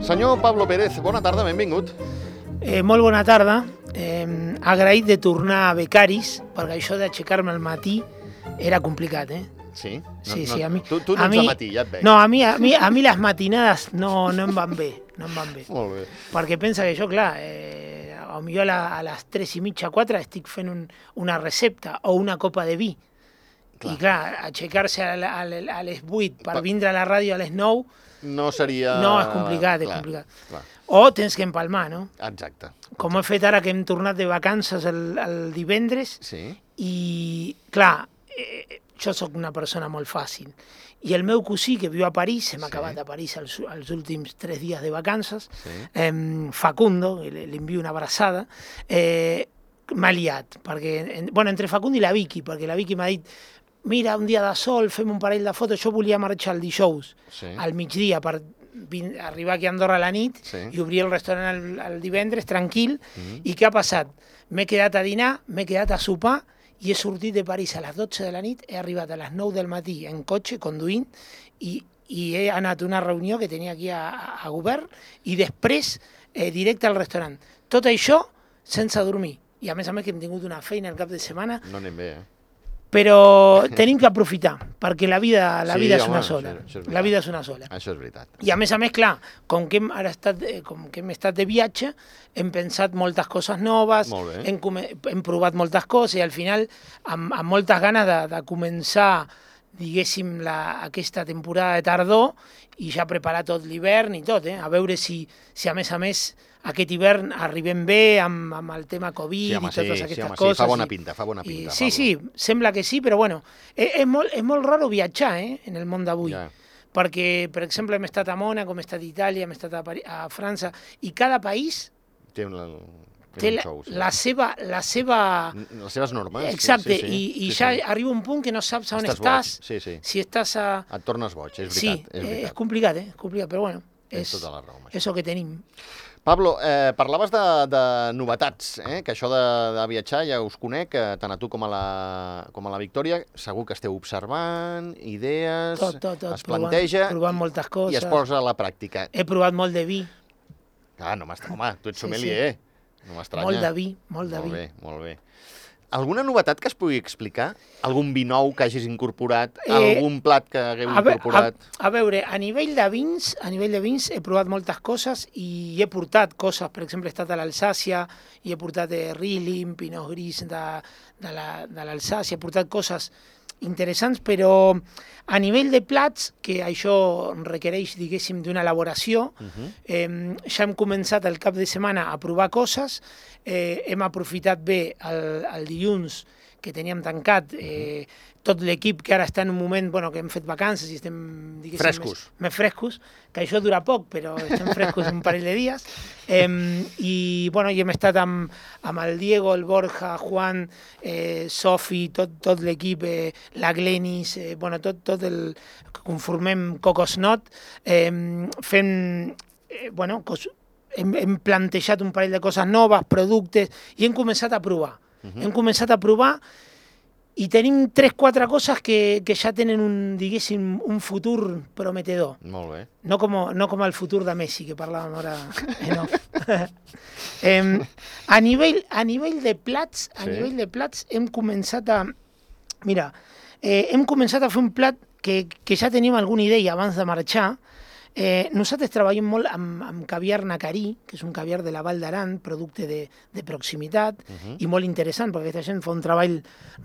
Senyor Pablo Pérez, bona tarda, benvingut. Molt bona tarda. Agraït de tornar a Becaris, perquè això d'aixecar-me al matí era complicat, Sí? Sí, a mi... Tu no ets de matí, ja et veig. No, a mi les matinades no em van bé, no em van bé. Molt bé. Perquè pensa que jo, clar, potser a les 3:30, 4 estic fent una recepta o una copa de vi. I clar, aixecar-se a les 8 per vindre a la ràdio a les 9... No seria... No, és complicat, és complicat. Clar. O tens que empalmar, no? Exacte. Com he fet ara que hem tornat de vacances el divendres, i clar, jo sóc una persona molt fàcil. I el meu cosí, que viu a París, hem acabat a París els últims 3 dies de vacances, Facundo, li envio una abraçada, m'ha liat, perquè, entre Facundo i la Vicky, perquè la Vicky m'ha dit: mira, un dia de sol, fem un parell de fotos. Jo volia marxar el dijous, al migdia, per arribar aquí a Andorra a la nit i obrir el restaurant el divendres, tranquil. I què ha passat? M'he quedat a dinar, m'he quedat a sopar i he sortit de París a les 12 de la nit, he arribat a les 9 del matí en cotxe, conduint, i he anat a una reunió que tenia aquí a Govern i després directe al restaurant. Tot això sense dormir. I a més que hem tingut una feina el cap de setmana. No anem bé, Però tenim que aprofitar, perquè la vida és una sola. La vida és una sola. Això és veritat. I a més, clar, com que hem estat de viatge, hem pensat moltes coses noves, hem provat moltes coses i al final amb moltes ganes de començar, diguéssim, aquesta temporada de tardor i ja preparar tot l'hivern i tot, a veure si a més aquest hivern arribem bé amb el tema Covid i totes aquestes coses. Sí, fa bona pinta. Sí, sembla que sí, però bueno, és molt raro viatjar en el món d'avui. Perquè, per exemple, hem estat a Mònaco, hem estat a Itàlia, hem estat a França, i cada país té les seves normes. Exacte, i ja arriba un punt que no saps on estàs. Si estàs a... Et tornes boig, és veritat. Sí, és complicat, però bueno, és el que tenim. Pablo, parlaves de novetats, que això de viatjar ja us conec, tant a tu com a la Victòria. Segur que esteu observant, idees, es planteja provant moltes coses i es posa a la pràctica. He provat molt de vi. No, home, tu ets sommelier, no m'estranya. Molt de vi, molt de vi. Molt bé. Alguna novetat que es pugui explicar? Algun vi nou que hagis incorporat? Algun plat que hagueu incorporat? A veure, a nivell de vins he provat moltes coses i he portat coses. Per exemple, he estat a l'Alsàcia i he portat Riesling, Pinot Gris de l'Alsàcia, he portat coses interessants, però a nivell de plats, que això requereix, diguéssim, d'una elaboració, ja hem començat el cap de setmana a provar coses, hem aprofitat bé el dilluns que teníem tancat, tot l'equip que ara està en un moment que hem fet vacances i estem, diguéssim, més frescos, que això dura poc, però estem frescos un parell de dies, i hem estat amb el Diego, el Borja, Juan, Sofi, tot l'equip, la Glenis, tot el que conformem Cocosnot, fent, hem plantejat un parell de coses noves, productes, i hem començat a provar. I tenim 3-4 coses que ja tenen un futur prometedor. Molt bé. No com el futur de Messi, que parlàvem ara. A nivell de plats, hem començat a... Mira, hem començat a fer un plat que ja teníem alguna idea abans de marxar. Nosaltres treballem molt amb caviar nacarí, que és un caviar de la Val d'Aran, producte de proximitat, i molt interessant, perquè aquesta gent fa un treball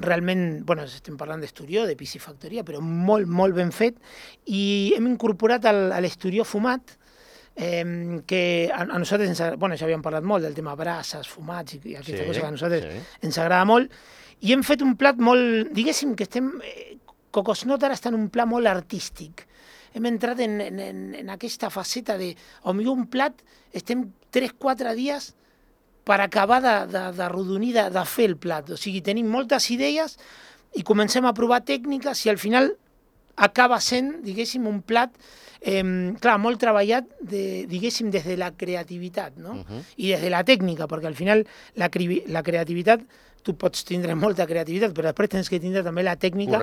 realment, estem parlant d'esturió, de piscifactoria, però molt, molt ben fet, i hem incorporat a l'esturió fumat, que a nosaltres, ja havíem parlat molt del tema brasses, fumats, i aquesta cosa que a nosaltres ens agrada molt, i hem fet un plat molt, diguéssim que Cocosnot ara està en un pla molt artístic. Hem entrat en aquesta faceta de, potser un plat, estem 3-4 dies per acabar d'arrodonir, de fer el plat. O sigui, tenim moltes idees i comencem a provar tècniques i al final acaba sent, diguéssim, un plat clar, molt treballat, diguéssim, des de la creativitat, no? I des de la tècnica, perquè al final la creativitat, tu pots tindre molta creativitat, però després tens que tindre també la tècnica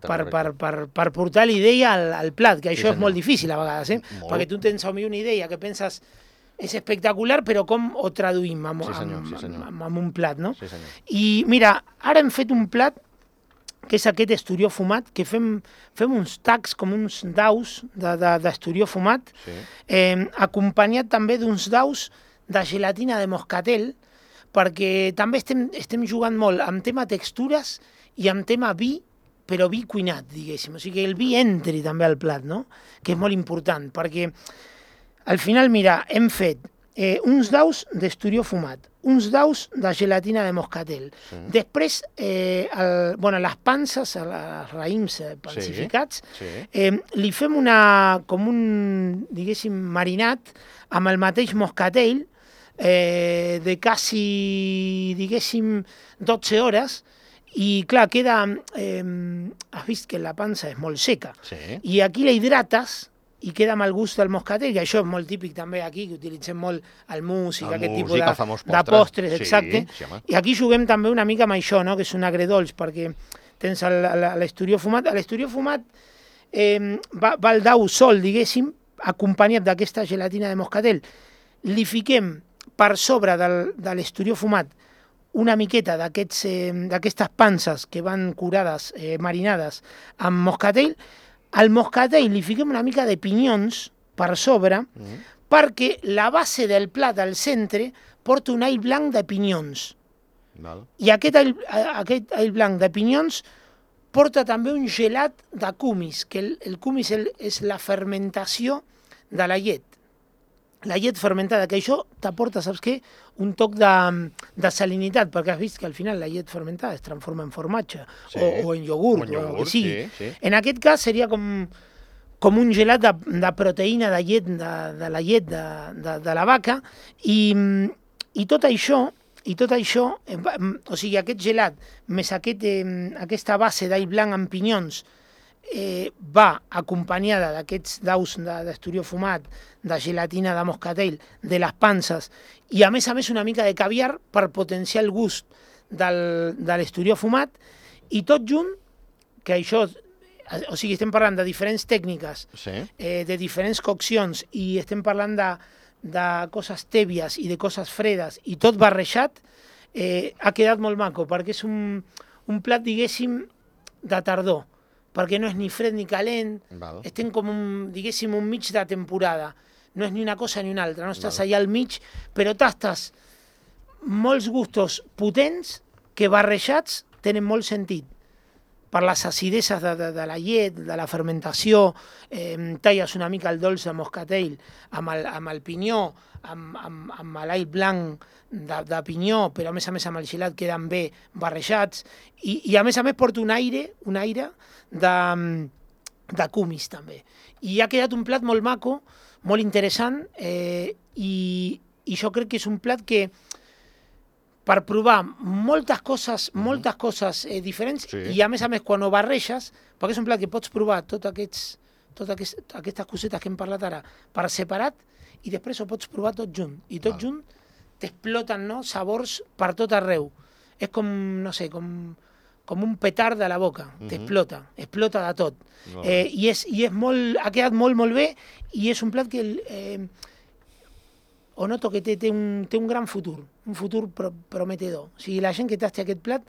per portar l'idea al plat, que això és molt difícil a vegades, perquè tu tens una idea que penses és espectacular, però com ho traduïm en un plat, no? I mira, ara hem fet un plat que és aquest esturió fumat, que fem uns tacs com uns daus d'esturió fumat, acompanyat també d'uns daus de gelatina de moscatel, perquè també estem jugant molt amb tema textures i amb tema vi, però vi cuinat, diguéssim. O sigui, que el vi entri també al plat, no? Que és molt important, perquè al final, mira, hem fet uns daus d'esturió fumat, uns daus de gelatina de moscatel. Després, les panses, els raïms pansificats, li fem com un, diguéssim, marinat amb el mateix moscatel de quasi, diguéssim, 12 hores, i clar, queda... Has vist que la pansa és molt seca, i aquí la hidrates i queda amb el gust del moscatel, i això és molt típic també aquí, que utilitzem molt el músic, aquest tipus de postres, exacte. I aquí juguem també una mica amb això, que és un agredolç, perquè tens l'esturió fumat. L'esturió fumat va al dau sol, diguéssim, acompanyat d'aquesta gelatina de moscatel. Li fiquem per sobre de l'esturió fumat una miqueta d'aquestes panses que van curades, marinades amb moscatel. Al moscatel li fiquem una mica de pinyons per sobre perquè la base del plat al centre porta un all blanc de pinyons. I aquest all blanc de pinyons porta també un gelat de cumis, que el cumis és la fermentació de la llet. La llet fermentada, que això t'aporta, saps què? Un toc de salinitat, perquè has vist que al final la llet fermentada es transforma en formatge o en iogurt, o el que sigui. En aquest cas seria com un gelat de proteïna de llet, de la llet de la vaca, i tot això, o sigui, aquest gelat més aquesta base d'all blanc amb pinyons va acompanyada d'aquests daus d'esturió fumat, de gelatina de moscatel, de les panses, i a més una mica de caviar per potenciar el gust de l'esturió fumat, i tot junt, que això, o sigui, estem parlant de diferents tècniques, de diferents coccions, i estem parlant de coses tèbies i de coses fredes, i tot barrejat, ha quedat molt maco, perquè és un plat, diguéssim, de tardor, perquè no és ni fred ni calent, estem com diguéssim, un mig de temporada. No és ni una cosa ni una altra, no estàs allà al mig, però tastes molts gustos potents que barrejats tenen molt sentit. Per les acideses de la llet, de la fermentació, talles una mica el dolç de moscatel amb el pinyó, amb l'all blanc de pinyó, però a més amb el gelat queden bé barrejats, i a més porta un aire de cumis també. I ha quedat un plat molt maco, molt interessant, i jo crec que és un plat que per provar moltes coses diferents, i a més quan ho barreges, perquè és un plat que pots provar totes aquestes cosetes que hem parlat ara per separat, i després ho pots provar tot junt, i tot junt t'exploten sabors per tot arreu. És com, no sé, com un petard de la boca, t'explota de tot. I ha quedat molt bé, i és un plat que o noto que té un gran futur, un futur prometedor. O sigui, la gent que tasti aquest plat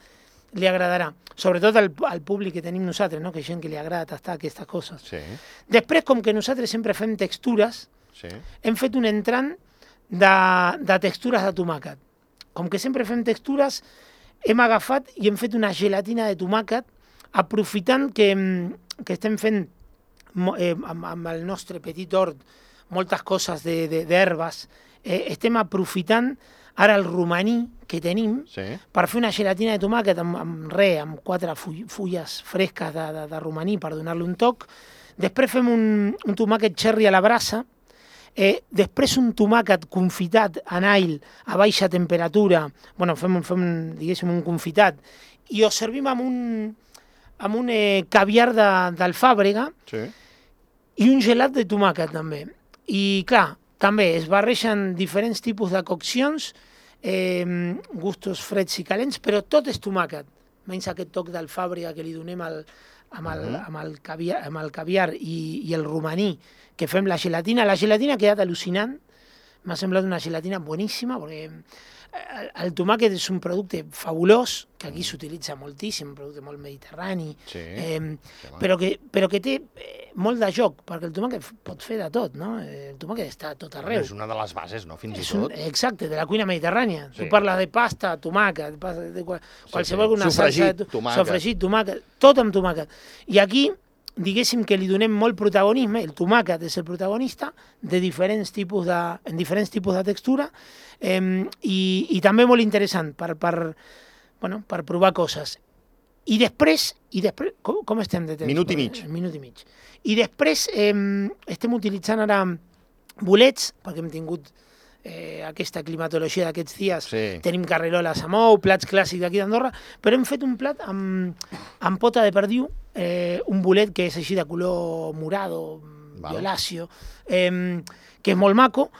li agradarà, sobretot al públic que tenim nosaltres, que gent que li agrada tastar aquestes coses. Després, com que nosaltres sempre fem textures, hem fet un entrant de textures de tomàquet. Com que sempre fem textures, hem agafat i hem fet una gelatina de tomàquet, aprofitant que estem fent amb el nostre petit hort moltes coses d'herbes, estem aprofitant ara el romaní que tenim per fer una gelatina de tomàquet amb 4 fulles fresques de romaní per donar-li un toc. Després fem un tomàquet cherry a la brasa, Després un tomàquet confitat en all a baixa temperatura, bueno, fem diguéssim, un confitat, i ho servim amb un caviar d'alfàbrega i un gelat de tomàquet també. I clar, també es barregen diferents tipus de coccions, gustos freds i calents, però tot és tomàquet, menys aquest toc d'alfàbrega que li donem amb el caviar i el romaní, que fem la gelatina. La gelatina ha quedat al·lucinant, m'ha semblat una gelatina boníssima, perquè el tomàquet és un producte fabulós, que aquí s'utilitza moltíssim, un producte molt mediterrani, però que té molt de joc, perquè el tomàquet pot fer de tot, no? El tomàquet està a tot arreu. És una de les bases, no? Fins i tot. Exacte, de la cuina mediterrània. Tu parles de pasta, tomàquet, de qualsevol una salsa... Sofregit, tomàquet, tot amb tomàquet. I aquí, diguéssim que li donem molt protagonisme, el tomàquet és el protagonista, en diferents tipus de textura, i també molt interessant per provar coses. I després com estem de temps? Minut i mig. Minut i mig. I després estem utilitzant ara bolets, perquè hem tingut aquesta climatologia d'aquests dies, tenim carreroles amb ou, plats clàssics d'aquí d'Andorra, però hem fet un plat amb pota de perdiu, un bolet que és així de color morado, violáceo, que és molt maco.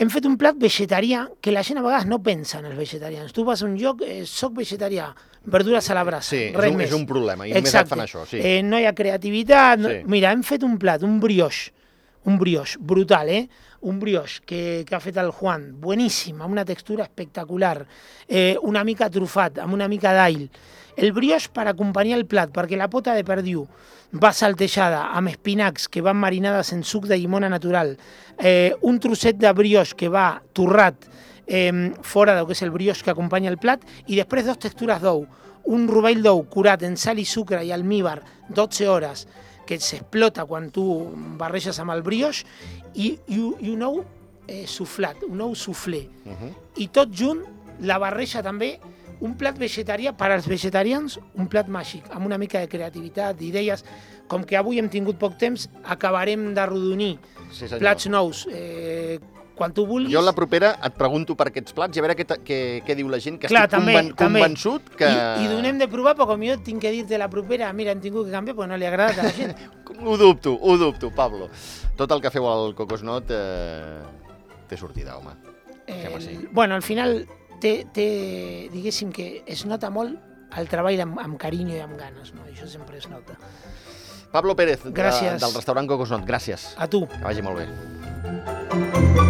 Hem fet un plat vegetarià que la gent a vegades no pensa en els vegetarians. Tu vas a un lloc, soc vegetarià, verdures a la brasa, res més. És un problema, i només et fan això. No hi ha creativitat. Mira, hem fet un plat, un brioix brutal, un brioix que ha fet el Juan, bueníssim, amb una textura espectacular, una mica trufat, amb una mica d'all. El brioix per acompanyar el plat, perquè la pota de perdiu va saltejada amb espinacs que van marinades en suc de llimona natural, un trosset de brioix que va torrat fora del que és el brioix que acompanya el plat, i després 2 textures d'ou, un rovell d'ou curat en sal i sucre i almívar 12 hores, que s'explota quan tu barreges amb el brioix, i un ou suflat, un ou suflé. I tot junt, la barreja també, un plat vegetarià, per als vegetarians, un plat màgic, amb una mica de creativitat, d'idees. Com que avui hem tingut poc temps, acabarem d'arrodonir plats nous. Quan tu vulguis... Jo la propera et pregunto per aquests plats i a veure què diu la gent, que estic convençut que... I donem de provar, però com jo tinc que dir-te la propera, mira, hem tingut que canviar perquè no li ha agradat a la gent. Ho dubto, Pablo. Tot el que feu al Cocosnot té sortida, home. Bueno, al final, diguéssim que es nota molt el treball amb carinyo i amb ganes, no? Això sempre es nota. Pablo Pérez, del restaurant Cocosnot, gràcies. A tu. Que vagi molt bé.